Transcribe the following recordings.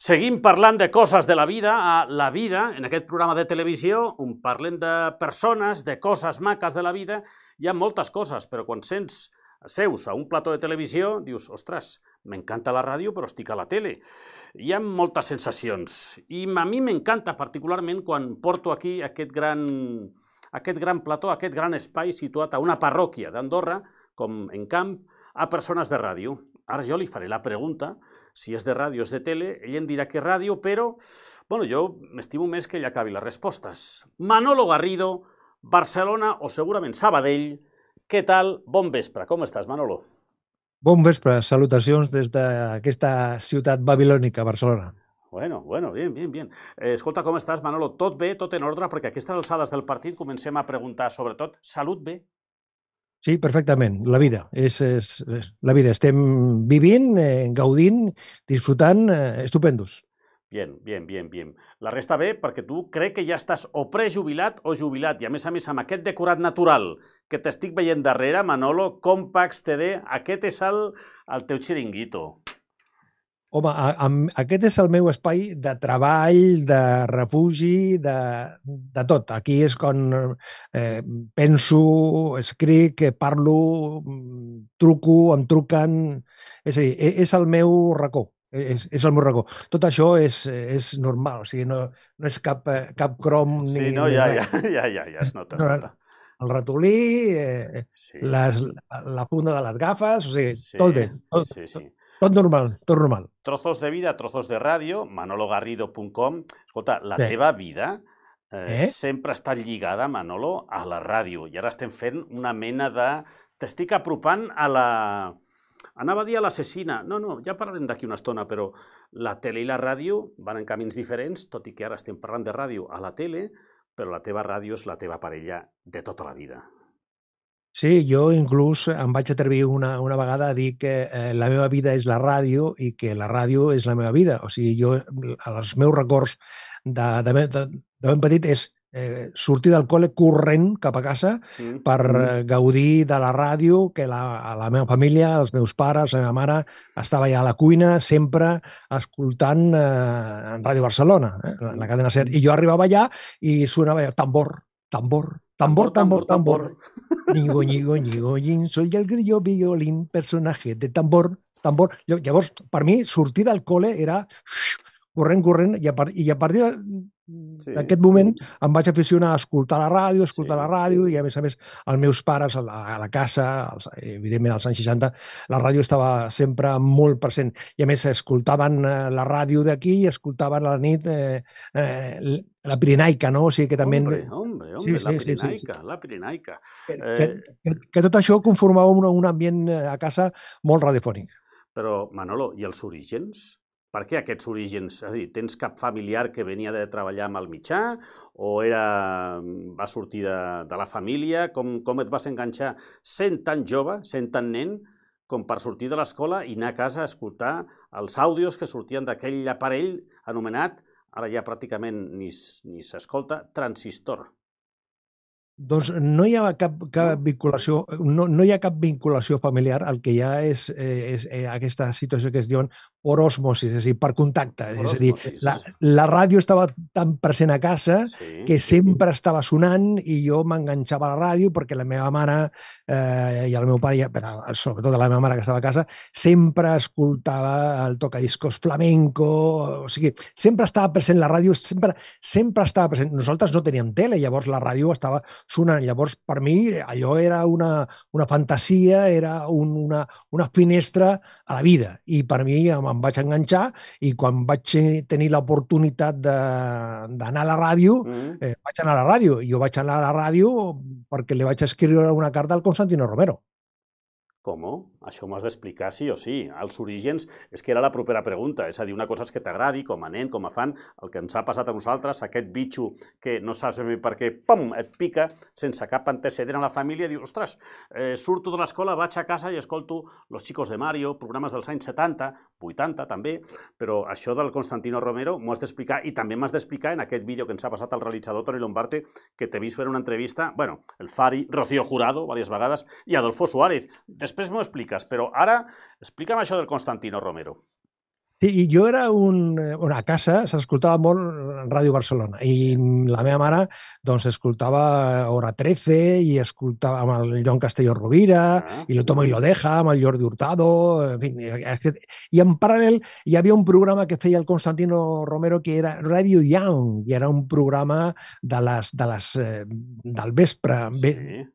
Seguim parlant de coses de la vida a La Vida, en aquest programa de televisió, on parlem de persones, de coses maques de la vida. Hi ha moltes coses, però quan seus a un plató de televisió, dius, ostres, m'encanta la ràdio, però estic a la tele. Hi ha moltes sensacions. I a mi m'encanta particularment quan porto aquí aquest gran plató, aquest gran espai situat a una parròquia d'Andorra, com en Camp, a persones de ràdio. Ara jo li faré la pregunta si és de ràdio o és de tele, ell em dirà que ràdio, però jo m'estimo més que ell acabi les respostes. Manolo Garrido, Barcelona o segurament Sabadell. Què tal? Bon vespre. Com estàs, Manolo? Bon vespre. Salutacions des d'aquesta ciutat babilònica, Barcelona. Bueno, bien. Escolta, com estàs, Manolo? Tot bé, tot en ordre? Perquè a aquestes alçades del partit comencem a preguntar, sobretot, salut bé? Sí, perfectament. La vida. És la vida. Estem vivint, gaudint, disfrutant, estupendos. Bien. La resta bé, perquè tu crec que ja estàs o prejubilat o jubilat, i a més amb aquest decorat natural que t'estic veient darrere, Manolo, Compax TD, aquest és el teu xiringuito. Home, aquest és el meu espai de treball, de refugi, de tot. Aquí és quan penso, escric, parlo, truco, em truquen... És a dir, és el meu racó. És el meu racó. Tot això és normal, o sigui, no és cap crom ni... Sí, no, ja es nota. El ratolí, la funda de les gafes, o sigui, tot bé. Sí. Tot normal. Trozos de vida, trozos de ràdio, manologarrido.com. Escolta, la teva vida sempre ha estat lligada, Manolo, a la ràdio. I ara estem fent una mena de... T'estic apropant a la... Anava a dir a l'assassina. No, ja parlarem d'aquí una estona, però la tele i la ràdio van en camins diferents, tot i que ara estem parlant de ràdio a la tele, però la teva ràdio és la teva parella de tota la vida. Sí, jo inclús em vaig atrevir una vegada a dir que la meva vida és la ràdio i que la ràdio és la meva vida. O sigui, jo, els meus records de ben petit és sortir del col·le corrent cap a casa per gaudir de la ràdio, que la meva família, els meus pares, la meva mare, estava allà a la cuina, sempre escoltant en Ràdio Barcelona, la cadena SER. I jo arribava allà i sonava tambor. Nigo, soy el grillo violín, personaje de tambor. Llavors, per mi, sortir del col·le era corrent, i a partir d'aquest moment em vaig aficionar a escoltar la ràdio, i a més, els meus pares a la casa, evidentment als anys 60, la ràdio estava sempre molt present. I a més, escoltaven la ràdio d'aquí i escoltaven a la nit la Pirenaica, no? O sigui que també... Hombre, la Pirenaica. Que tot això conformava un ambient a casa molt radiofònic. Però, Manolo, i els orígens? Per què aquests orígens? És a dir, tens cap familiar que venia de treballar amb el mitjà o va sortir de la família? Com et vas enganxar sent tan jove, sent tan nen, com per sortir de l'escola i anar a casa a escoltar els àudios que sortien d'aquell aparell anomenat, ara ja pràcticament ni s'escolta, transistor? Doncs no hi ha cap vinculació, no hi ha cap vinculació familiar. El que hi ha és aquesta situació que es diuen por osmosis, és a dir, per contacte. És a dir, la ràdio estava tan present a casa que sempre estava sonant i jo m'enganxava a la ràdio perquè la meva mare i el meu pare, però sobretot la meva mare que estava a casa, sempre escoltava el tocadiscos flamenco, o sigui, sempre estava present la ràdio, sempre estava present. Nosaltres no teníem tele, llavors la ràdio estava sonant. Llavors, per mi, allò era una fantasia, era una finestra a la vida. I per mi em vaig enganxar i quan vaig tenir l'oportunitat d'anar a la ràdio, vaig anar a la ràdio. Jo vaig anar a la ràdio perquè li vaig escriure una carta al Constantino Romero. Com? Això m'ho has d'explicar sí o sí. Els orígens és que era la propera pregunta. És a dir, una cosa és que t'agradi, com a nen, com a fan, el que ens ha passat a nosaltres, aquest bitxo que no saps ben bé per què, pum, et pica, sense cap antecedent a la família, dius, ostres, surto de l'escola, vaig a casa i escolto Los Chicos de Mario, programes dels anys 70, 80 també, però això del Constantino Romero m'ho has d'explicar i també m'has d'explicar en aquest vídeo que ens ha passat el realitzador Toni Lombarte, que t'he vist fer una entrevista, el Fari, Rocío Jurado, diverses vegades, i Adolfo Suárez. Després m'ho expliques, però ara explica'm això del Constantino Romero. Sí, i jo era a casa s'escoltava molt Ràdio Barcelona i la meva mare doncs escoltava Hora 13 i escoltava amb el Joan Castelló Rovira i Lo Toma y Lo Deja amb el Jordi Hurtado, en fi. I en paral·lel hi havia un programa que feia el Constantino Romero que era Radio Young i era un programa del vespre, nit,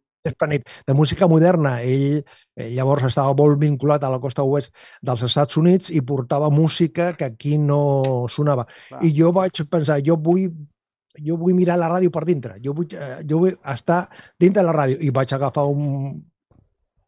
de música moderna. Ell llavors estava molt vinculat a la costa oest dels Estats Units i portava música que aquí no sonava. I jo vaig pensar, jo vull mirar la ràdio per dintre, jo vull estar dintre de la ràdio, i vaig agafar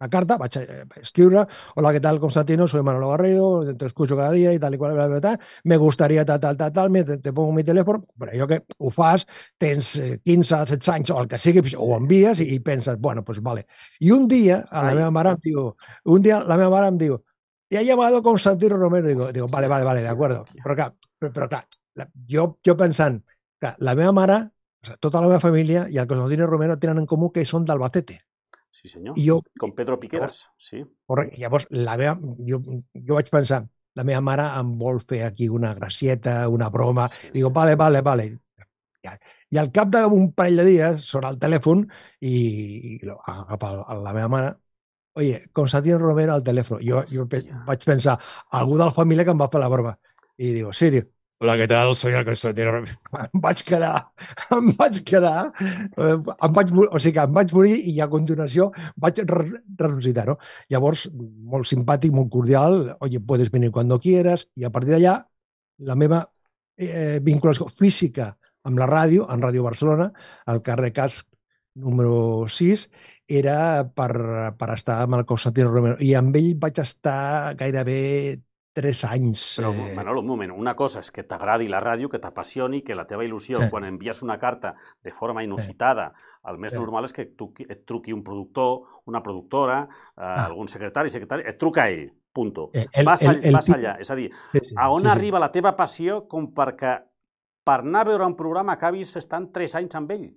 la carta, vaig escriure: hola, ¿qué tal, Constantino? Soy Manolo Garrido, te escucho cada día y tal y cual, bla, bla, bla, me gustaría tal, te pongo mi teléfono, però jo que ho fas, tens 15, 16 anys o el que sigui, ho envies i penses, bueno, pues vale. I un dia la meva mare em diu, te ha llamado Constantino Romero, digo, vale, de acuerdo, però clar, jo pensant que la meva mare, tota la meva família i el Constantino Romero tenen en comú que són d'Albacete. Sí, senyor. Com Pedro Piqueras, sí. Correcte. Llavors, jo vaig pensar, la meva mare em vol fer aquí una gracieta, una broma. Digo, vale. I al cap d'un parell de dies sona el telèfon i agafa la meva mare: oye, Constantino Romero al telèfon. Jo vaig pensar, algú de la família que em va fer la broma. I digo, sí, hola, ¿qué tal? Soy el Constantino Romero. Em vaig quedar, o sigui que em vaig morir i a continuació vaig ressuscitar, no? Llavors, molt simpàtic, molt cordial, oye, puedes venir cuando quieras, i a partir d'allà la meva vinculació física amb la ràdio, en Ràdio Barcelona, al carrer Casc número 6, era per estar amb el Constantino Romero, i amb ell vaig estar gairebé 3 anys. Però, Manolo, un moment, una cosa és que t'agradi la ràdio, que t'apassioni, que la teva il·lusió, quan envies una carta de forma inusitada, el més normal és que et truqui un productor, una productora, algun secretari, et truca ell, punto. Vas allà, és a dir, a on arriba la teva passió com perquè per anar a veure un programa acabis estant 3 anys amb ell?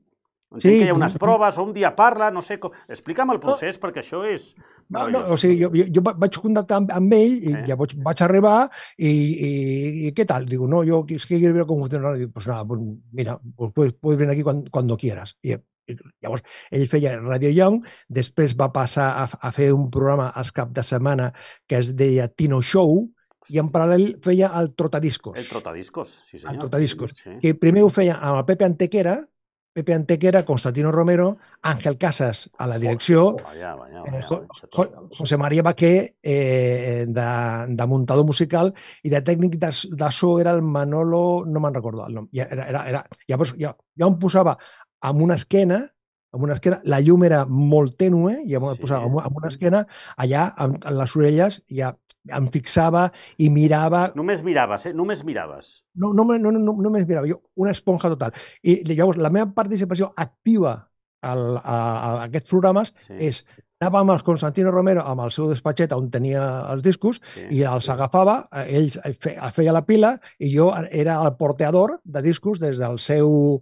Entenc que hi ha unes proves, o un dia parla, no sé com... Explica'm el procés, perquè això és... O sigui, jo vaig contactar amb ell i llavors vaig arribar i què tal? Digo, no, yo es que quiero ver cómo funciona. Digo, pues nada, pues mira, puedes venir aquí cuando quieras. I llavors ell feia Radio Young, després va passar a fer un programa als cap de setmana que es deia Tino Show, i en paral·lel feia el Trotadiscos. El Trotadiscos, sí senyor. El Trotadiscos, que primer ho feia amb el Pepe Antequera, Constantino Romero, Ángel Casas a la direcció, José María Baquer de muntador musical, i de tècnic de so era el Manolo, no me'n recordo el nom. Llavors ja em posava amb una esquena, la llum era molt tènue, i em posava amb una esquena, allà, amb les orelles, ja em fixava i mirava... Només miraves, Només miraves. No, només mirava, jo, una esponja total. I llavors la meva participació activa a aquests programes és anava amb el Constantino Romero amb el seu despatxet on tenia els discos i els agafava, ell feia la pila i jo era el porteador de discos des del seu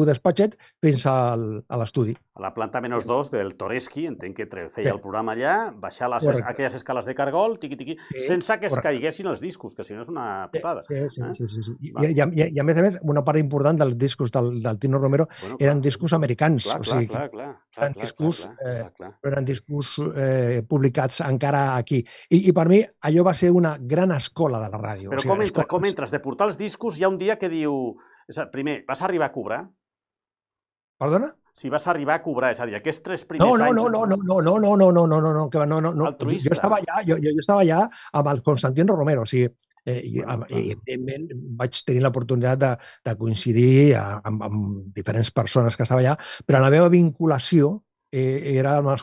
despatxet fins a l'estudi. A la planta -2 del Toreski, entenc que feia el programa allà, baixar aquelles escales de cargol, tiqui-tiqui, sense que es caiguessin els discos, que si no és una putada. Sí. I a més, una part important dels discos del Tino Romero eren discos americans. Eren discos publicats encara aquí. I per mi allò va ser una gran escola de la ràdio. Però com entres? De portar els discos hi ha un dia que diu... Primer, vas arribar a cobrar? Perdona? Si vas arribar a cobrar, és a dir, aquests 3 primers anys... No. Jo estava allà amb el Constantino Romero, o sigui, i evidentment vaig tenir l'oportunitat de coincidir amb diferents persones que estava allà, però la meva vinculació era amb el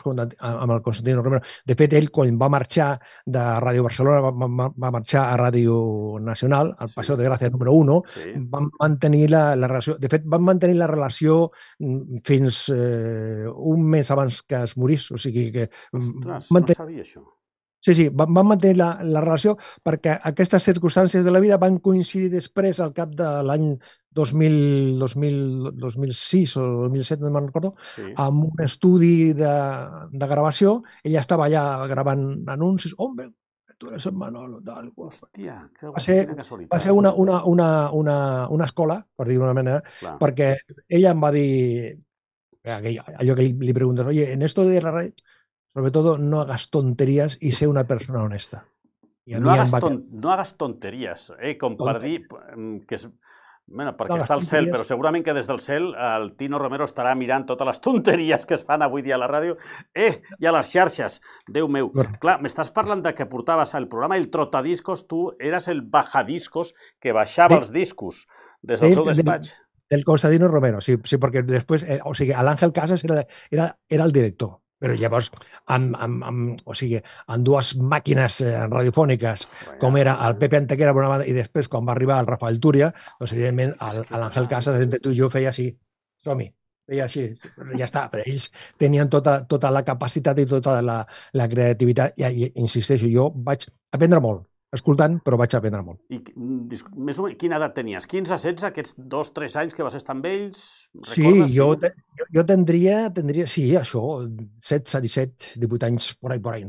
Constantino Romero. De fet, ell, quan va marxar de Ràdio Barcelona, va marxar a Ràdio Nacional, al Paseo de Gràcia número 1, van mantenir la relació. De fet, van mantenir la relació fins un mes abans que es morís. O sigui que... Ostres, no sabia això. Sí, van mantenir la relació perquè aquestes circumstàncies de la vida van coincidir després, al cap de l'any 2006 o 2007, no me'n recordo, amb un estudi de gravació. Ella estava allà gravant anuncis. tu eres el Manolo, tal qual. Hòstia, Va ser una escola, per dir-ho d'una manera, perquè ella em va dir, allò que li preguntes, oye, en esto de la radio, sobre todo no hagas tonterías y sé una persona honesta. I a no mi em va no hagas tonteries, com per dir que és... Bueno, perquè No, està al cel, però segurament que des del cel el Tino Romero estarà mirant totes les tonteries que es fan avui dia a la ràdio i a les xarxes. Déu meu. Clar, m'estàs parlant de que portaves el programa El Trotadiscos, tu eres el bajadiscos que baixava els discos des del seu despatx. Del Constantino Romero, sí, perquè després, o sigui, l'Àngel Casas era el director, però llavors amb dues màquines radiofòniques, com era el Pepe Antequera per una banda, i després, quan va arribar el Rafael Túria, doncs, evidentment, l'Àngel Casas, entre tu i jo, feia així, som-hi, feia així, ja està, però ells tenien tota la capacitat i tota la creativitat, i insisteixo, jo vaig aprendre molt, escoltant, però vaig aprendre molt. I més o menys, quina edat tenies? 15, 16, aquests 2-3 anys que vas estar amb ells? Sí, jo tindria, sí, això, 16, 17, 18 anys, por ahí.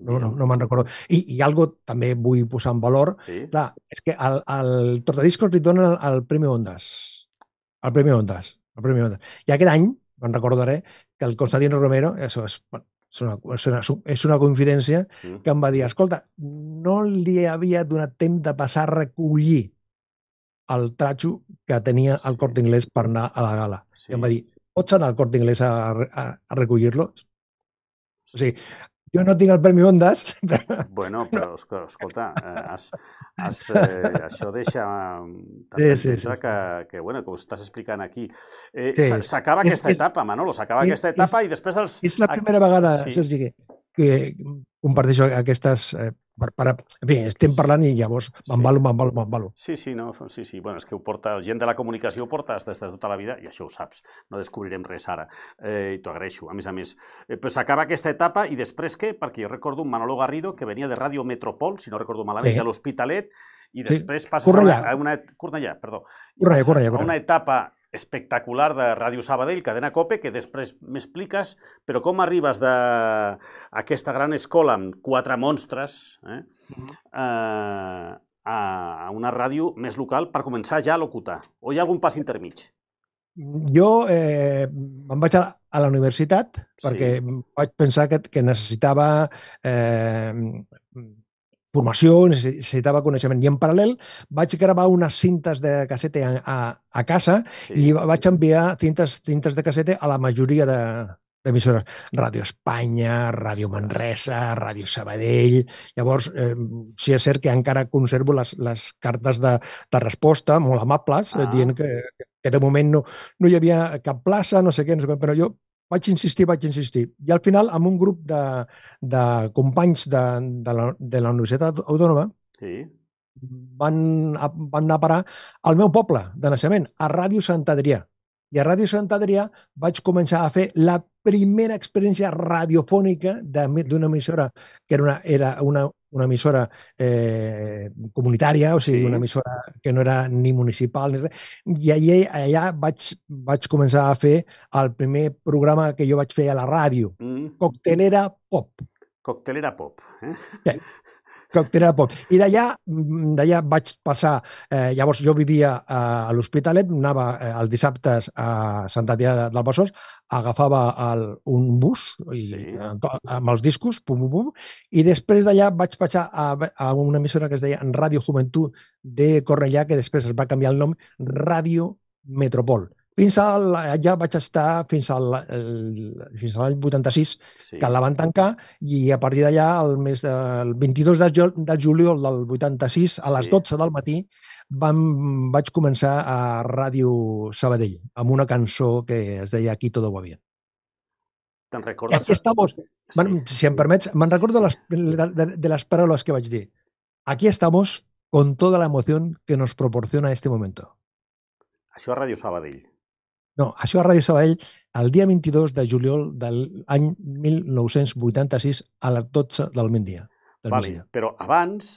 No me'n recordo. I algo també vull posar en valor, clar, és que al Trotadiscos li donen el Premi Ondas. El Premi Ondas. I aquest any, me'n recordaré, que el Constantino Romero, això és una confidència, que em va dir, escolta, no li havia donat temps de passar a recollir el tratxo que tenia el Corte Inglés per anar a la gala. I em va dir, pots anar al Corte Inglés a recollir-lo? O sigui, jo no tinc el Premi Ondas. Bueno, però escolta, això deixa d'entendre que, bueno, que ho estàs explicant aquí. S'acaba aquesta etapa, Manolo, s'acaba aquesta etapa i després dels... És la primera vegada, Sergi, que comparteixo aquestes... En fi, estem parlant i llavors m'embalo. Sí. Bueno, és que ho porta, gent de la comunicació ho portes des de tota la vida i això ho saps, no descobrirem res ara. I t'ho agraeixo, a més. Però s'acaba aquesta etapa i després què? Perquè jo recordo un Manolo Garrido que venia de Ràdio Metropol, si no recordo malament, de l'Hospitalet, i després passes a una etapa espectacular de Ràdio Sabadell, Cadena Cope, que després m'expliques, però com arribes d'aquesta gran escola amb 4 monstres a una ràdio més local per començar ja a locutar? O hi ha algun pas intermig? Jo em vaig a la universitat perquè vaig pensar que necessitava formació, necessitava coneixement. I en paral·lel vaig gravar unes cintes de cassete a casa i vaig enviar cintes de cassete a la majoria d'emissores. Ràdio Espanya, Ràdio Manresa, Ràdio Sabadell... Llavors, sí és cert que encara conservo les cartes de resposta molt amables, dient que de moment no hi havia cap plaça, no sé què, però jo vaig insistir. I al final, amb un grup de companys de la Universitat Autònoma, van anar a parar al meu poble de naixement, a Ràdio Sant Adrià. I a Ràdio Sant Adrià vaig començar a fer la primera experiència radiofònica d'una emissora que era una emissora comunitària, o sigui, una emissora que no era ni municipal ni res. I allà vaig començar a fer el primer programa que jo vaig fer a la ràdio, Coctelera Pop. Coctelera Pop, Coctelera Pop. I d'allà vaig passar... Llavors jo vivia a l'Hospitalet, anava els dissabtes a Sant Adrià del Besòs, agafava un bus amb els discos, i després d'allà vaig passar a una emissora que es deia Ràdio Joventut de Cornellà, que després es va canviar el nom, Ràdio Metropol. Allà vaig estar fins a l'any 86, que la van tancar, i a partir d'allà, el 22 de juliol del 86, a les 12 del matí, vaig començar a Ràdio Sabadell, amb una cançó que es deia Aquí todo va bien. Te'n recordes? Aquí estamos, si em permets, me'n recordo de les paraules que vaig dir. Aquí estamos con toda la emoción que nos proporciona este momento. Això a Ràdio Sabadell. No, això a Ràdio Sabadell el dia 22 de juliol de l'any 1986 a les 12 del migdia. Però abans,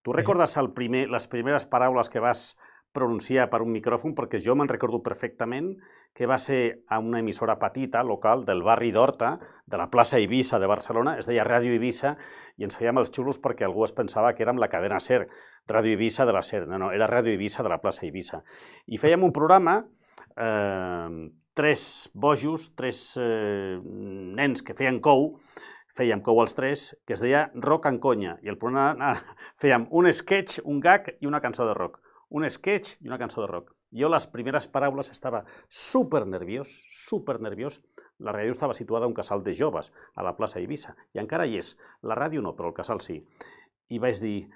tu recordes les primeres paraules que vas pronunciar per un micròfon? Perquè jo me'n recordo perfectament que va ser a una emissora petita, local, del barri d'Horta, de la plaça Eivissa de Barcelona, es deia Ràdio Eivissa, i ens fèiem els xulos perquè algú es pensava que érem la cadena SER, Ràdio Eivissa de la SER. No, era Ràdio Eivissa de la plaça Eivissa. I fèiem un programa, 3 bojos, 3 nens que feien cou els 3, que es deia Rock en Conya, i el programa fèiem un sketch, un gag i una cançó de rock. Un sketch i una cançó de rock. Jo les primeres paraules estava supernerviós. La ràdio estava situada a un casal de joves, a la plaça Eivissa, i encara hi és. La ràdio no, però el casal sí. I vaig dir,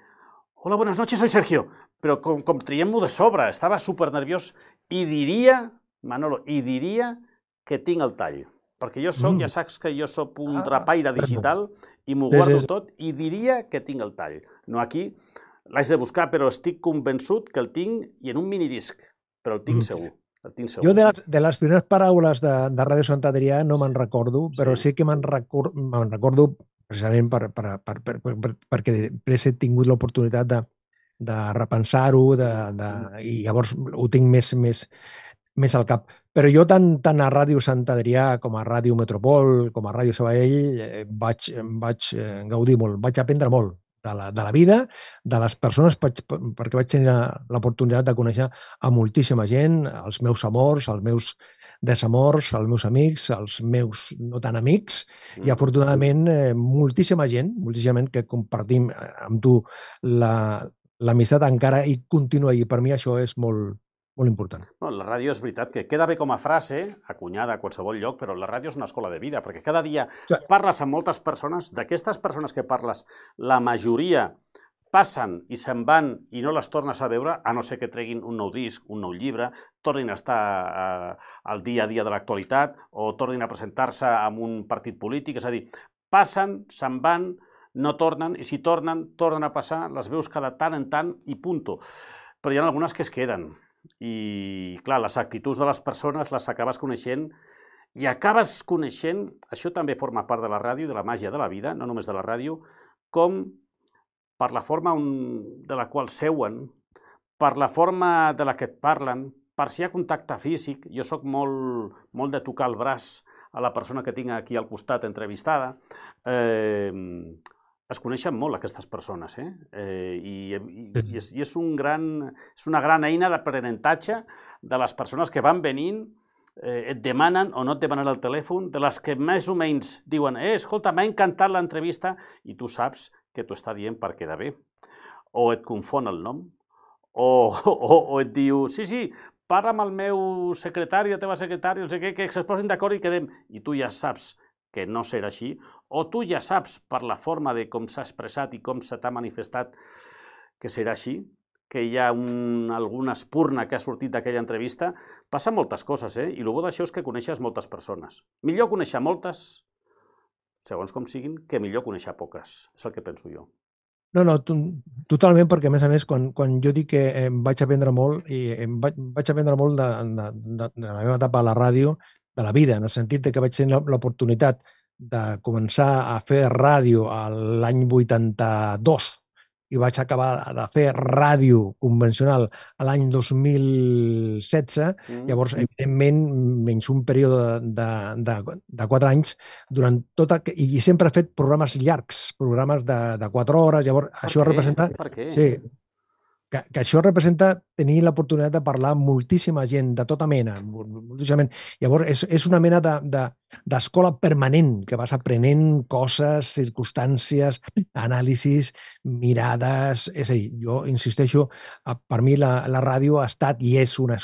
hola, buenas noches, soy Sergio. Però com traiem-m'ho de sobre, estava supernerviós i diria, Manolo, que tinc el tall. Perquè jo soc, ja saps que jo soc un trapaire digital i m'ho guardo tot i diria que tinc el tall. No aquí, l'haig de buscar, però estic convençut que el tinc i en un minidisc, però el tinc segur. Jo de les primeres paraules de Ràdio Sant Adrià no me'n recordo, però sí que me'n recordo precisament perquè després he tingut l'oportunitat de repensar-ho i llavors ho tinc més al cap. Però jo tant a Ràdio Sant Adrià com a Ràdio Metropol, com a Ràdio Sabadell, vaig gaudir molt, vaig aprendre molt de la vida, de les persones, perquè vaig tenir l'oportunitat de conèixer a moltíssima gent, els meus amors, els meus desamors, els meus amics, els meus no tan amics, i afortunadament moltíssima gent que compartim amb tu l'amistat encara i continua, i per mi això és molt important. La ràdio és veritat que queda bé com a frase, acunyada a qualsevol lloc, però la ràdio és una escola de vida, perquè cada dia parles amb moltes persones, d'aquestes persones que parles, la majoria passen i se'n van i no les tornes a veure, a no ser que treguin un nou disc, un nou llibre, tornin a estar al dia a dia de l'actualitat o tornin a presentar-se en un partit polític, és a dir, passen, se'n van, no tornen, i si tornen a passar, les veus cada tant en tant i punto. Però hi ha algunes que es queden. I, clar, les actituds de les persones les acabes coneixent i acabes coneixent, això també forma part de la ràdio, de la màgia de la vida, no només de la ràdio, com per la forma de la qual seuen, per la forma de la que et parlen, per si hi ha contacte físic. Jo soc molt de tocar el braç a la persona que tinc aquí al costat entrevistada. Es coneixen molt aquestes persones, i és una gran eina d'aprenentatge de les persones que van venint, et demanen o no et demanen el telèfon, de les que més o menys diuen escolta, m'ha encantat l'entrevista, i tu saps que t'ho està dient per quedar bé. O et confon el nom, o et diu, sí, parla amb el meu secretari, la teva secretària, no sé què, que es posin d'acord i quedem. I tu ja saps que no serà així, o tu ja saps per la forma de com s'ha expressat i com se t'ha manifestat que serà així, que hi ha alguna espurna que ha sortit d'aquella entrevista. Passen moltes coses, i el bo d'això és que coneixes moltes persones. Millor conèixer moltes, segons com siguin, que millor conèixer poques. És el que penso jo. No, totalment, perquè a més, quan jo dic que vaig aprendre molt, i vaig aprendre molt de la meva etapa a la ràdio, de la vida, en el sentit que vaig tenir l'oportunitat de començar a fer ràdio l'any 82 i vaig acabar de fer ràdio convencional l'any 2016, llavors, evidentment, menys un període de 4 anys, i sempre he fet programes llargs, programes de 4 hores, llavors això representa... Per què? Sí, que això representa tenir l'oportunitat de parlar amb moltíssima gent, de tota mena, moltíssimament. Llavors, és una mena d'escola permanent, que vas aprenent coses, circumstàncies, anàlisis, mirades... És a dir, jo insisteixo, per mi la ràdio ha estat i és una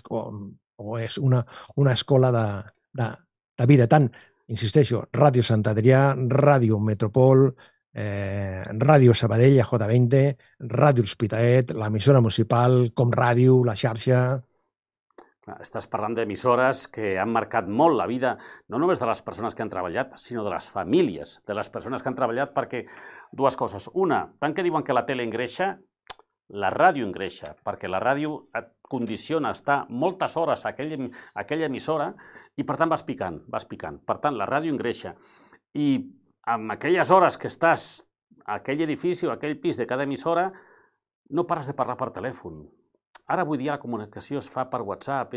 escola de vida. Tant, insisteixo, Ràdio Sant Adrià, Ràdio Metropol, Ràdio Sabadell, a J20, Ràdio Hospitalet, l'emissora municipal, Com Ràdio, la xarxa... Estàs parlant d'emissores que han marcat molt la vida, no només de les persones que han treballat, sinó de les famílies, de les persones que han treballat, perquè dues coses. Una, tant que diuen que la tele engreixa, la ràdio engreixa, perquè la ràdio et condiciona a estar moltes hores a aquella emissora i, per tant, vas picant. Per tant, la ràdio engreixa. I amb aquelles hores que estàs a aquell edifici o a aquell pis de cada emissora, no pares de parlar per telèfon. Ara avui dia la comunicació es fa per WhatsApp,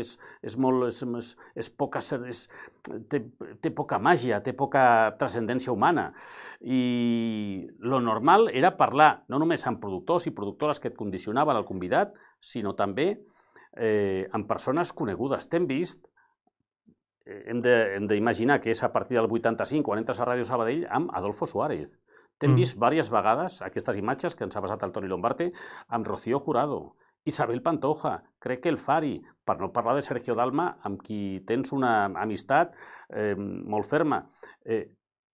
té poca màgia, té poca transcendència humana. I lo normal era parlar no només amb productors i productores que et condicionaven el convidat, sinó també amb persones conegudes. T'hem vist, hem d'imaginar que és a partir del 85, quan entres a Ràdio Sabadell, amb Adolfo Suárez. T'hem vist diverses vegades aquestes imatges que ens ha passat el Toni Lombarte amb Rocío Jurado, Isabel Pantoja, crec que el Fari, per no parlar de Sergio Dalma, amb qui tens una amistat molt ferma.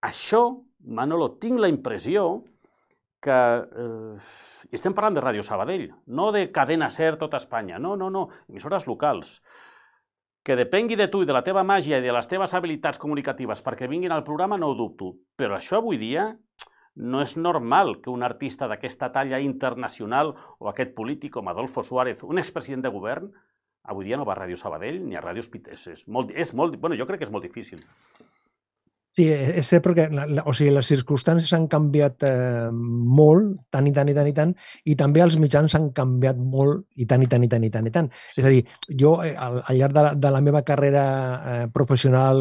Això, Manolo, tinc la impressió que estem parlant de Ràdio Sabadell, no de Cadena Ser tota Espanya, no, emissores locals. Que depengui de tu i de la teva màgia i de les teves habilitats comunicatives perquè vinguin al programa no ho dubto, però això avui dia no és normal que un artista d'aquesta talla internacional o aquest polític com Adolfo Suárez, un expresident de govern, avui dia no va a Ràdio Sabadell ni a Ràdio Hospitals. Bueno, jo crec que és molt difícil. Sí, és cert perquè les circumstàncies han canviat molt, tant, i també els mitjans han canviat molt, i tant. És a dir, jo al llarg de la meva carrera professional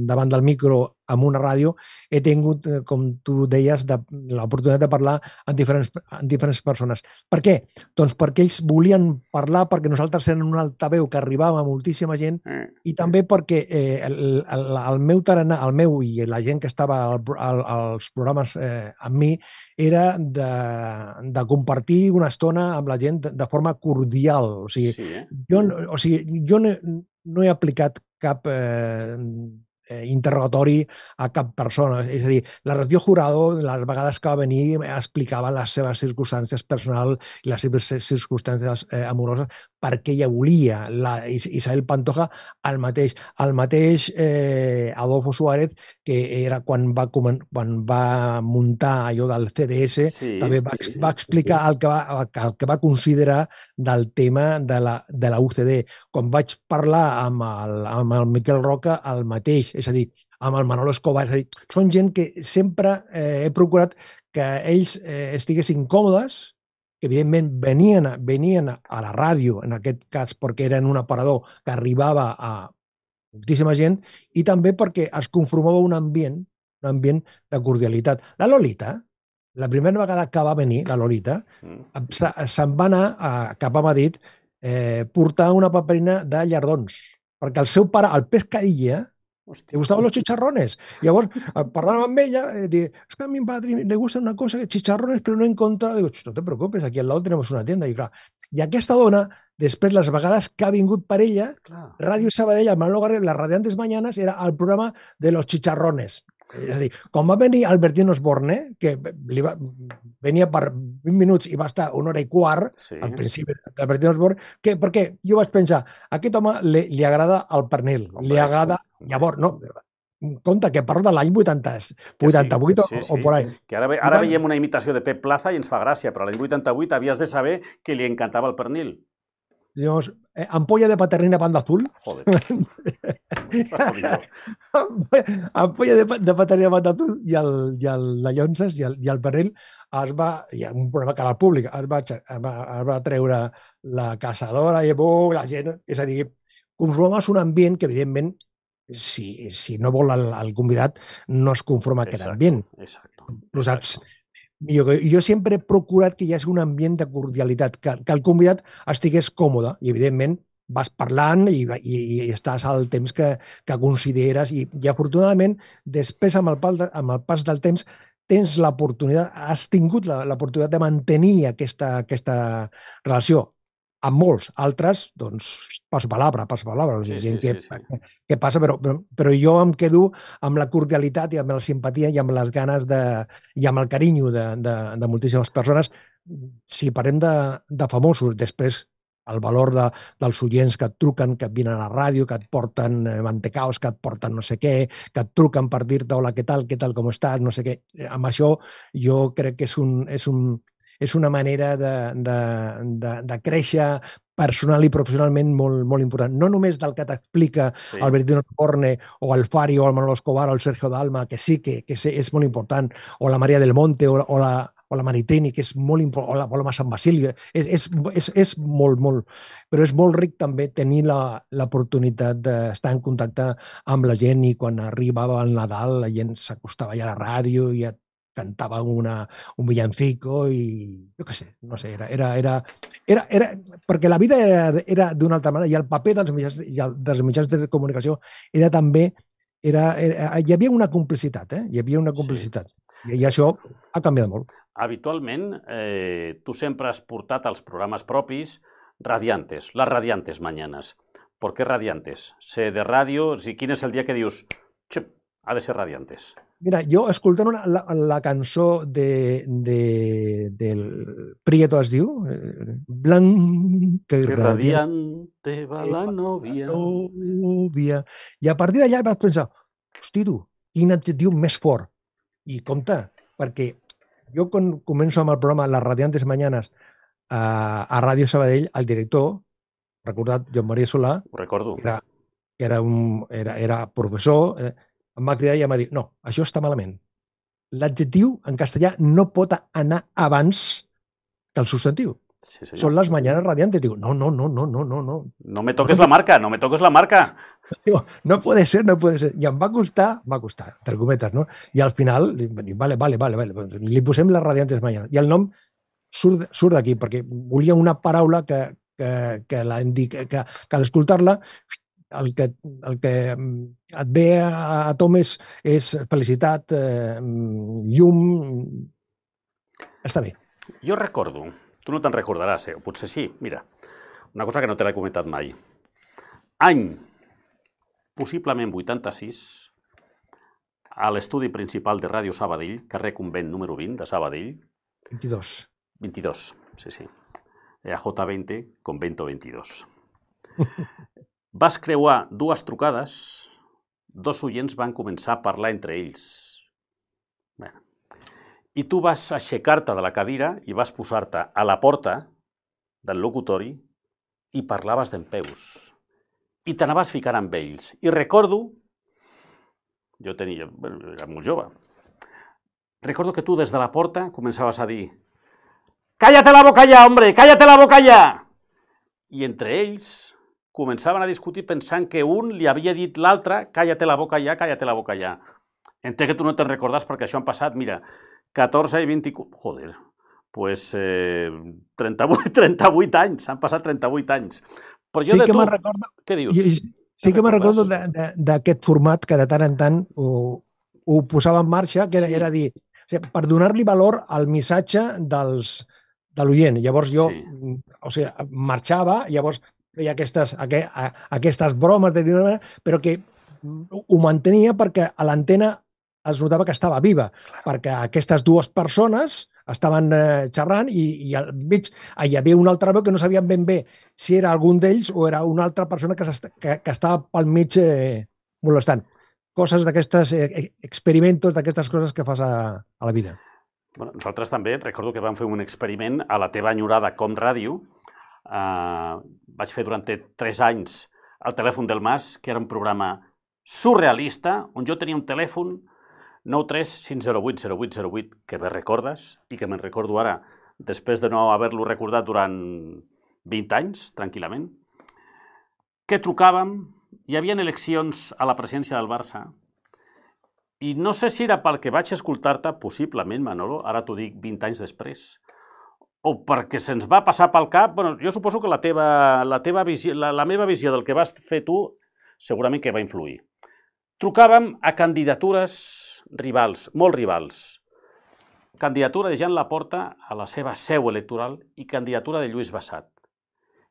davant del micro amb una ràdio, he tingut, com tu deies, l'oportunitat de parlar amb diferents persones. Per què? Doncs perquè ells volien parlar, perquè nosaltres érem un altaveu que arribava a moltíssima gent, i també perquè el meu tarannà, el meu i la gent que estava als programes amb mi, era de compartir una estona amb la gent de forma cordial. O sigui, jo no he aplicat cap interrogatori a cap persona. És a dir, la Rocío Jurado, les vegades que va venir, explicava les seves circumstàncies personals i les seves circumstàncies amoroses perquè ella volia. La Isabel Pantoja, el mateix. El mateix Adolfo Suárez, que era quan va muntar allò del CDS, també va explicar el que va considerar del tema de la UCD. Quan vaig parlar amb el Miquel Roca, el mateix. És a dir, amb el Manolo Escobar. És a dir, són gent que sempre he procurat que ells estiguessin còmodes, que evidentment venien a la ràdio, en aquest cas perquè eren un aparador que arribava a moltíssima gent, i també perquè es conformava un ambient de cordialitat. La Lolita, la primera vegada que va venir, la Lolita, se'n va anar cap a Madrid portar una paperina de llardons, perquè el seu pare, el Pescadilla, le gustaban los chicharrones. Llavors, parlant amb ella, dic, es que a mi padre le gusta una cosa, chicharrones, però no he encontrado. Digo, no te preocupes, aquí al lado tenemos una tienda. I aquesta dona, després, les vegades que ha vingut per ella, Ràdio Sabadell, al Manolo Garriga, les Radiantes Mañanas, era el programa de los chicharrones. És a dir, quan va venir Albertín Osborne, que venia per 20 minuts i va estar una hora i quart, al principi d'Albertín Osborne, perquè jo vaig pensar, a aquest home li agrada el pernil, li agrada... Llavors, no, compte, que parlo de l'any 88 o por ahí. Que ara veiem una imitació de Pep Plaza i ens fa gràcia, però l'any 88 havies de saber que li encantava el pernil. Digamos, ampolla de paternina Panda Azul. Joder. Ampolla de paternina Panda Azul i la Llonses i el pernil hi ha un programa que a la pública es va treure la caçadora i la gent, és a dir, conformaves un ambient que evidentment si no vol el convidat no es conforma aquest ambient. Ho saps? Jo sempre he procurat que hi hagi un ambient de cordialitat, que el convidat estigués còmode i, evidentment, vas parlant i estàs al temps que consideres i afortunadament, després, amb el pas del temps, has tingut l'oportunitat de mantenir aquesta relació. Amb molts, altres, doncs, passo palabra. Què passa? Però jo em quedo amb la cordialitat i amb la simpatia i amb les ganes i amb el carinyo de moltíssimes persones. Si parlem de famosos, després el valor dels oients que et truquen, que et vinen a la ràdio, que et porten mantecaos, que et porten no sé què, que et truquen per dir-te hola, què tal, com estàs, no sé què. Amb això jo crec que és una manera de créixer personal i professionalment molt important. No només del que t'explica Albertín Osborne o el Fari o el Manolo Escobar o el Sergio Dalma, que sí que és molt important, o la María del Monte o o la Maritini, que és molt important, o la Paloma Sant Basili, és molt, però és molt ric també tenir l'oportunitat d'estar en contacte amb la gent i quan arribava el Nadal la gent s'acostava ja a la ràdio i ja cantava un villancico i jo què sé, no sé, perquè la vida era d'una altra manera i el paper dels mitjans de comunicació era també, hi havia una complicitat, hi havia una complicitat i això ha canviat molt. Habitualment, tu sempre has portat als programes propis radiantes, les radiantes mañanas. ¿Por qué radiantes? Sé de ràdio, quin és el dia que dius, ha de ser radiantes? Mira, jo escoltant la cançó del Prieto es diu, Blanca i radiante va la novia. I a partir d'allà vaig pensar, hosti tu, quin adjectiu més fort. I compte, perquè jo quan començo amb el programa Les Radiantes Mañanas a Ràdio Sabadell, el director, recordat, Joan Maria Solà, ho recordo, era professor, em va cridar i em va dir, no, això està malament. L'adjectiu en castellà no pot anar abans que el substantiu. Sí, són les mañanas radiantes. Digo, no. No me toques la marca, no me toques la marca. Digo, no puede ser. I em va costar, entre cometes, no? I al final, dic, vale, li posem les radiantes mañanas. I el nom surt d'aquí, perquè volia una paraula que l'escoltar-la el que et ve a tom és felicitat, llum... Està bé. Jo recordo, tu no te'n recordaràs, o potser sí, mira, una cosa que no te l'he comentat mai. Any, possiblement 86, a l'estudi principal de Ràdio Sabadell, carrer Convent número 20 de Sabadell. 22, sí. J20, Convento 22. Vas creuar dues trucades, dos oients van començar a parlar entre ells. I tu vas aixecar-te de la cadira i vas posar-te a la porta del locutori i parlaves dempeus. I t'anaves ficant amb ells. I recordo, era molt jove, recordo que tu des de la porta començaves a dir «Cállate la boca ya, hombre, cállate la boca ya!» I entre ells començaven a discutir pensant que un li havia dit l'altre «Cállate la boca ya, cállate la boca ya». Entenc que tu no te'n recordes perquè això han passat, mira, 14 i 24... Joder, pues 38 anys, han passat 38 anys. Però jo sí que me'n recordo... Què dius? Sí que me'n recordo d'aquest format que de tant en tant ho posava en marxa, que era dir, per donar-li valor al missatge de l'oient. Llavors jo marxava, llavors feia aquestes bromes, però que ho mantenia perquè a l'antena es notava que estava viva, perquè aquestes dues persones estaven xerrant i al mig hi havia una altra veu que no sabien ben bé si era algun d'ells o era una altra persona que estava pel mig molestant. Coses d'aquestes experimentos, d'aquestes coses que fas a la vida. Nosaltres també, recordo que vam fer un experiment a la teva enyorada Com Ràdio. Vaig fer durant 3 anys el telèfon del Mas, que era un programa surrealista, on jo tenia un telèfon 935080808, que bé recordes, i que me'n recordo ara, després de no haver-lo recordat durant 20 anys, tranquil·lament, que trucàvem, hi havia eleccions a la presidència del Barça, i no sé si era pel que vaig escoltar-te, possiblement, Manolo, ara t'ho dic 20 anys després, o perquè se'ns va passar pel cap, jo suposo que la meva visió del que vas fer tu segurament que va influir. Trucàvem a candidatures rivals, molt rivals. Candidatura de Jean Laporta a la seva seu electoral i candidatura de Lluís Bassat.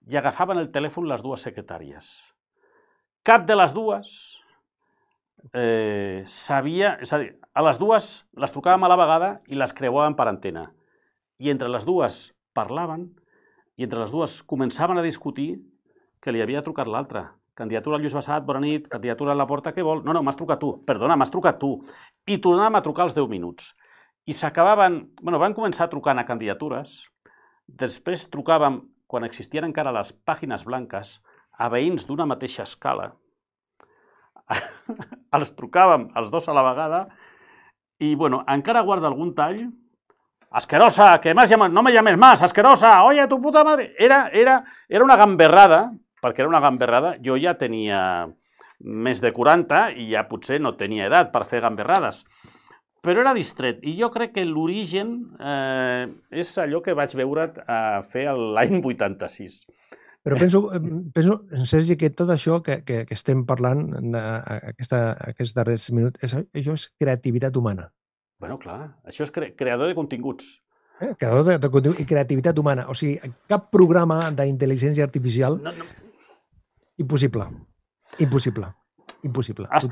I agafaven el telèfon les dues secretàries. Cap de les dues sabia... És a dir, a les dues les trucàvem a la vegada i les creuàvem per antena. I entre les dues parlaven i entre les dues començaven a discutir que li havia trucat l'altra. Candidatura a Lluís Bassat, bona nit, candidatura a Laporta, què vol? No, m'has trucat tu, perdona, m'has trucat tu. I tornàvem a trucar als 10 minuts. I s'acabaven... Van començar trucant a candidatures, després trucàvem, quan existien encara les pàgines blanques, a veïns d'una mateixa escala. Els trucàvem els dos a la vegada i, encara guarda algun tall asquerosa, que no me llames más, asquerosa, oye, tu puta madre. Era una gamberrada, perquè era una gamberrada. Jo ja tenia més de 40 i ja potser no tenia edat per fer gamberrades. Però era distret. I jo crec que l'origen és allò que vaig veure't a fer l'any 86. Però penso, Sergi, que tot això que estem parlant aquests darrers minuts, això és creativitat humana. Bueno, clar, això és creador de continguts. Creador de contingut i creativitat humana. O sigui, cap programa d'intel·ligència artificial... Impossible. Impossible. Impossible. Has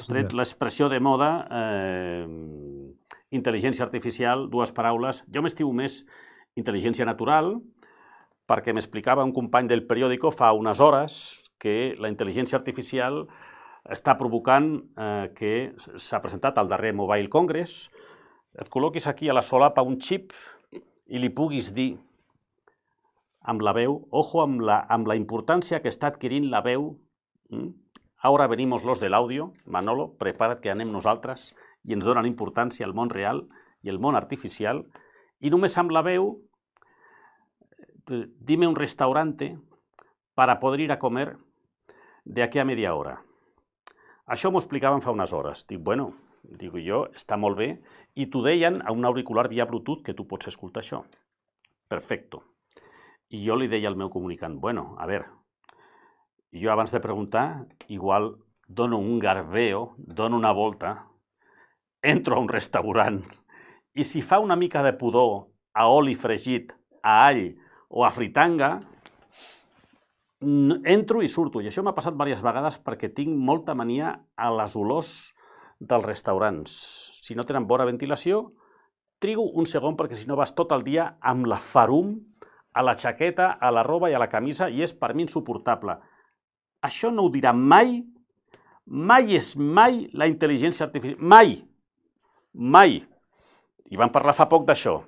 tret l'expressió de moda, intel·ligència artificial, dues paraules. Jo m'estimo més intel·ligència natural, perquè m'explicava un company del periòdico fa unes hores que la intel·ligència artificial està provocant que s'ha presentat al darrer Mobile Congress, et col·loquis aquí a la solapa un xip i li puguis dir amb la veu, ojo amb la importància que està adquirint la veu. Ahora venimos los del audio, Manolo, prepara't que anem nosaltres i ens donen importància al món real i al món artificial, i només amb la veu, dime un restaurante para poder ir a comer de aquí a media hora. Això m'ho explicaven fa unes hores. Dic, bueno, dic jo, està molt bé, i t'ho deien a un auricular via Bluetooth que tu pots escoltar això. Perfecto. I jo li deia al meu comunicant, bueno, a veure, jo abans de preguntar, igual dono un garbeo, dono una volta, entro a un restaurant i si fa una mica de pudor a oli fregit, a all o a fritanga, entro i surto. I això m'ha passat diverses vegades perquè tinc molta mania a les olors dels restaurants. Si no tenen bona ventilació, trigo un segon perquè si no vas tot el dia amb la farum a la jaqueta, a la roba i a la camisa i és per mi insuportable. Això no ho dirà mai, mai és mai la intel·ligència artificial. Mai, mai. I vam parlar fa poc d'això,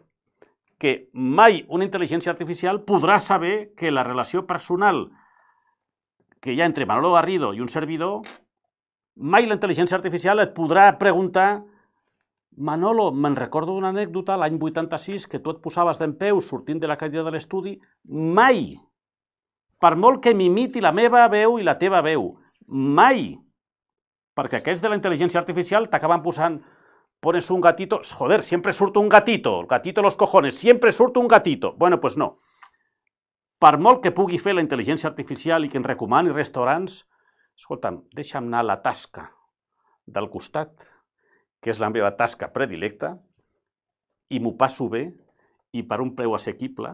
que mai una intel·ligència artificial podrà saber que la relació personal que hi ha entre Manolo Garrido i un servidor, mai la intel·ligència artificial et podrà preguntar Manolo, me'n recordo d'una anècdota l'any 86 que tu et posaves dempeus sortint de la cadira de l'estudi. Mai! Per molt que m'imiti la meva veu i la teva veu. Mai! Perquè aquests de la intel·ligència artificial t'acaben posant pones un gatito, joder, siempre surto un gatito, el gatito de los cojones, siempre surto un gatito. Bueno, pues no. Per molt que pugui fer la intel·ligència artificial i que ens recomani restaurants, escolta'm, deixa'm anar a la tasca del costat, que és la meva tasca predilecta, i m'ho passo bé, i per un preu assequible,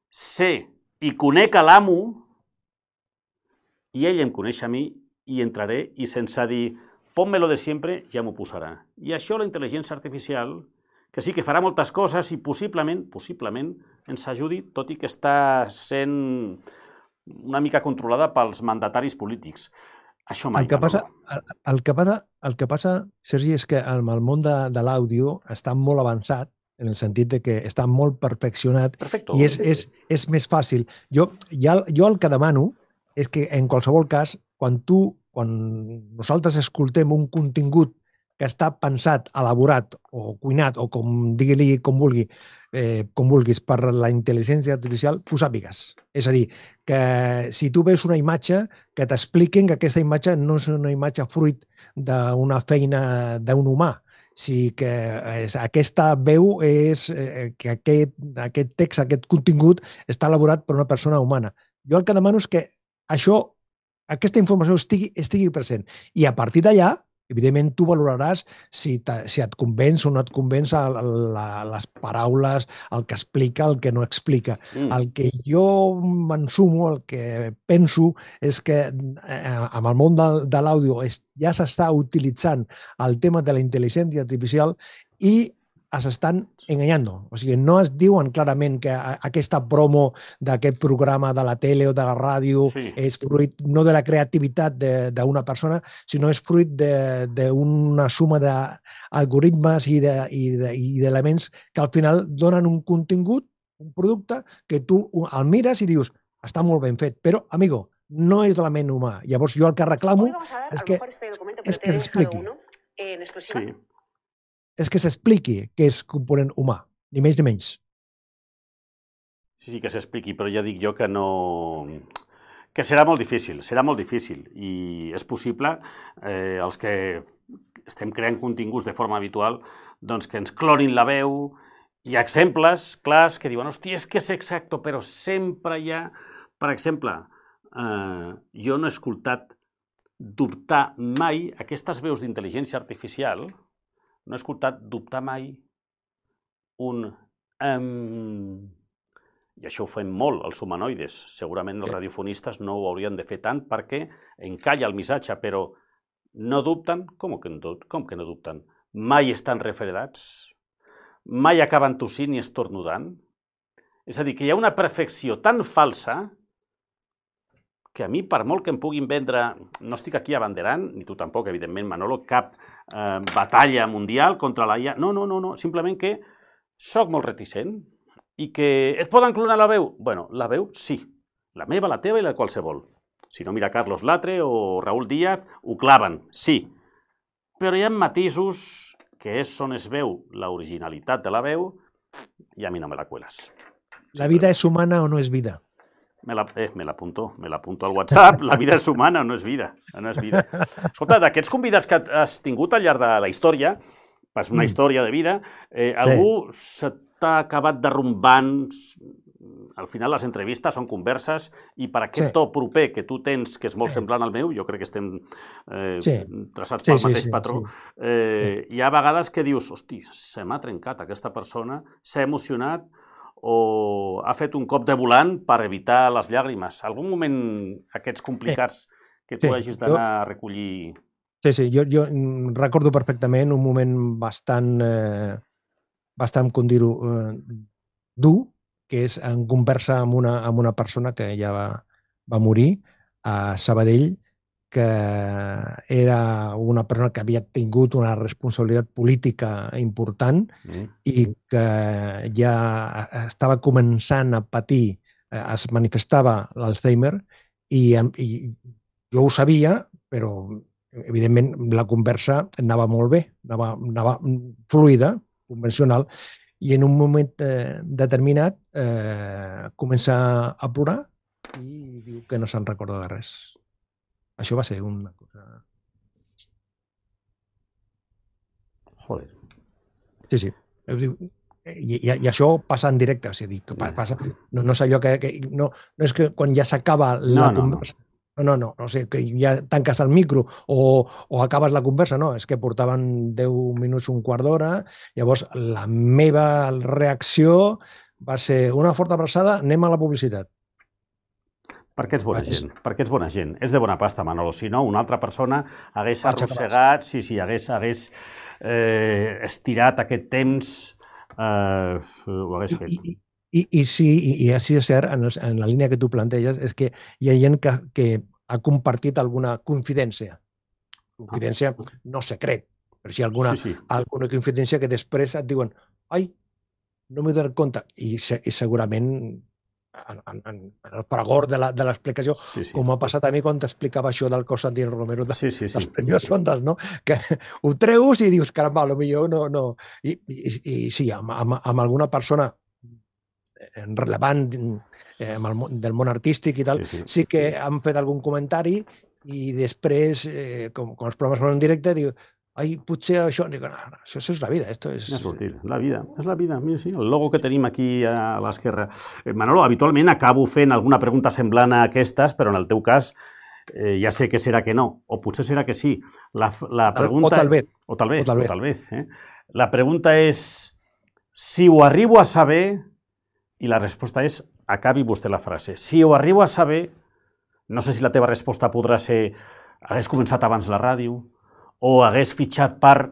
sé i conec a l'amo, i ell em coneix a mi, i entraré, i sense dir ponme-lo de sempre, ja m'ho posarà. I això la intel·ligència artificial, que sí que farà moltes coses i possiblement ens ajudi, tot i que està sent una mica controlada pels mandataris polítics. Això mai. El que passa, Sergi, és que el món de l'àudio està molt avançat, en el sentit que està molt perfeccionat i és més fàcil. Jo el que demano és que, en qualsevol cas, quan nosaltres escoltem un contingut que està pensat, elaborat o cuinat, o com digui-li com vulguis, per la intel·ligència artificial, tu sàpigues. És a dir, que si tu veus una imatge, que t'expliquen que aquesta imatge no és una imatge fruit d'una feina d'un humà, si que aquesta veu és que aquest text, aquest contingut, està elaborat per una persona humana. Jo el que demano és que aquesta informació estigui present. I a partir d'allà, evidentment, tu valoraràs si et convenç o no et convenç les paraules, el que explica, el que no explica. El que jo m'ensumo, el que penso, és que amb el món de l'àudio ja s'està utilitzant el tema de la intel·ligència artificial i s'estan enganyant. O sigui, no es diuen clarament que aquesta promo d'aquest programa de la tele o de la ràdio és fruit no de la creativitat d'una persona, sinó és fruit d'una suma d'algoritmes i d'elements que al final donen un contingut, un producte, que tu el mires i dius, està molt ben fet, però, amigo, no és de la ment humà. Llavors, jo el que reclamo és que s'expliqui. És que s'expliqui què és component humà. ni més ni menys. Sí, que s'expliqui, però ja dic jo que no... que serà molt difícil, i és possible, els que estem creant continguts de forma habitual, doncs que ens clonin la veu. Hi ha exemples clars que diuen, hòstia, és que és exacte, però sempre hi ha... Per exemple, jo no he escoltat dubtar mai, aquestes veus d'intel·ligència artificial, no he escoltat dubtar mai un... I això ho fem molt, els humanoides. Segurament els radiofonistes no ho haurien de fer tant perquè encalla el missatge, però no dubten? Com que no dubten? Mai estan refredats? Mai acaben tossint i estornudant? És a dir, que hi ha una perfecció tan falsa que a mi, per molt que em puguin vendre, no estic aquí abanderant, ni tu tampoc, evidentment, Manolo, cap batalla mundial contra la IA. No, simplement que soc molt reticent i que et poden clonar la veu? Bueno, la veu sí, la meva, la teva i la de qualsevol. Si no, mira Carlos Latre o Raúl Díaz, ho claven, sí. Però hi ha matisos que és on es veu l'originalitat de la veu i a mi no me la cuelas. La vida és humana o no és vida? Me l'apunto al WhatsApp. La vida és humana o no és vida? No és vida. Escolta, d'aquests convidats que has tingut al llarg de la història, és una història de vida, algú s'ha acabat derrumbant? Al final les entrevistes són converses i per aquest to proper que tu tens, que és molt semblant al meu, jo crec que estem traçats pel mateix patró, hi ha vegades que dius, hosti, se m'ha trencat aquesta persona, s'ha emocionat o ha fet un cop de volant per evitar les llàgrimes. Algun moment aquests complicats que tu hagis d'anar a recollir... Sí, jo recordo perfectament un moment bastant, com dir-ho, dur, que és en conversa amb una persona que ja va morir a Sabadell, que era una persona que havia tingut una responsabilitat política important i que ja estava començant a patir, es manifestava l'Alzheimer, i jo ho sabia, però evidentment la conversa anava molt bé, anava fluida, convencional, i en un moment determinat comença a plorar i diu que no se'n recorda de res. Això va ser una cosa... Joder. Sí. I això passa en directe, és a dir, que passa... No és allò que... No és que quan ja s'acaba la conversa... No, o sigui, que ja tanques el micro o acabes la conversa, no, és que portaven 10 minuts, un quart d'hora, llavors la meva reacció va ser una forta abraçada, anem a la publicitat. Perquè ets bona gent, perquè ets bona gent. És de bona pasta, Manolo. Si no, una altra persona hagués arrossegat, hagués estirat aquest temps, ho hagués fet. I sí, i així és cert, en la línia que tu planteges, és que hi ha gent que ha compartit alguna confidència. Confidència no secret, però sí alguna confidència que després et diuen ai, no m'he donat compte. I segurament en el fragor de l'explicació, com ha passat a mi quan t'explicava això del Constantino Romero dels Premios Ondas, no? Que ho treus i dius, caramba, potser no. I sí, amb alguna persona rellevant del món artístic i tal, sí que han fet algun comentari i després, com els programes són en directe, diu, ai, potser això... Dic, no, això és la vida. Ha sortit, la vida. És la vida. Mira, sí, el logo que tenim aquí a l'esquerra. Manolo, habitualment acabo fent alguna pregunta semblant a aquestes, però en el teu cas ja sé que serà que no, o potser serà que sí. La pregunta... O tal vez. La pregunta és si ho arribo a saber, i la resposta és, acabi vostè la frase, si ho arribo a saber, no sé si la teva resposta podrà ser hagués començat abans la ràdio, o hagués fitxat per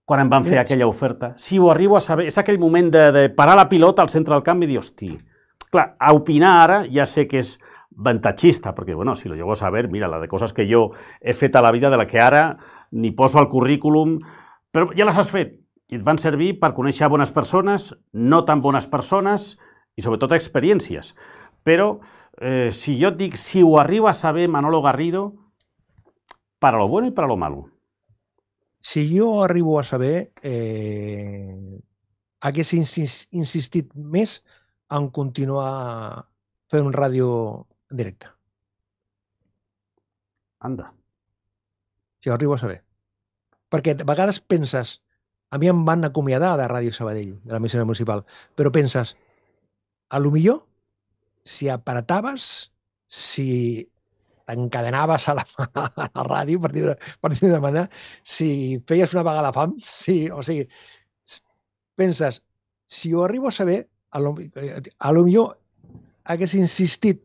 quan em van fer aquella oferta. Si ho arribo a saber, és aquell moment de parar la pilota al centre del camp i dir, hosti, clar, a opinar ara ja sé que és avantatgista, perquè, bueno, si lo llego a saber, mira, la de coses que jo he fet a la vida de la que ara ni poso al currículum, però ja les has fet i et van servir per conèixer bones persones, no tan bones persones i sobretot experiències. Però si jo et dic, si ho arribo a saber, Manolo Garrido, para lo bueno y para lo malo. Si yo arribo a saber, hagués insistit més en continuar fent ràdio en directe. Anda. Si ho arribo a saber. Perquè a vegades penses, a mi em van acomiadar de Ràdio Sabadell, de l'emissora municipal, però penses, a lo millor, si apretaves, si t'encadenaves a la ràdio, per dir de manera, si feies una vaga a la fam, o sigui, penses, si ho arribo a saber, a lo millor hagués insistit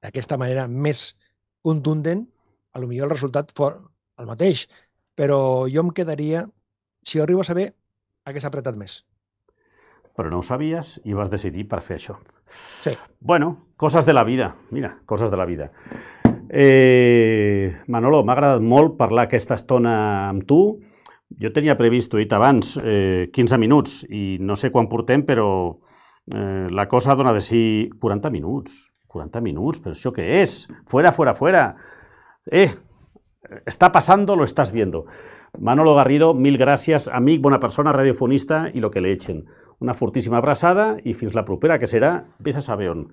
d'aquesta manera més contundent, a lo millor el resultat fos el mateix, però jo em quedaria, si ho arribo a saber, hagués apretat més. Però no ho sabies i vas decidir per fer això. Sí. Bueno, coses de la vida. Mira, coses de la vida. Manolo, m'ha agradat molt parlar aquesta estona amb tu. Jo tenia previst, ho he dit abans, 15 minuts i no sé quan portem, però la cosa dona de si 40 minuts. 40 minuts, però això què és? Fuera, fuera, fuera. Está pasando, lo estás viendo. Manolo Garrido, mil gràcies, amic, bona persona, radiofonista i lo que le echen. Una fortíssima abraçada i fins la propera, que serà, vés a saber on.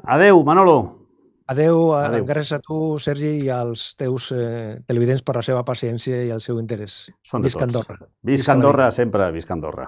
Adeu, Manolo. Adeu. Gràcies a tu, Sergi, i als teus televidents per la seva paciència i el seu interès. Visca Andorra. Visca Andorra sempre, visca Andorra.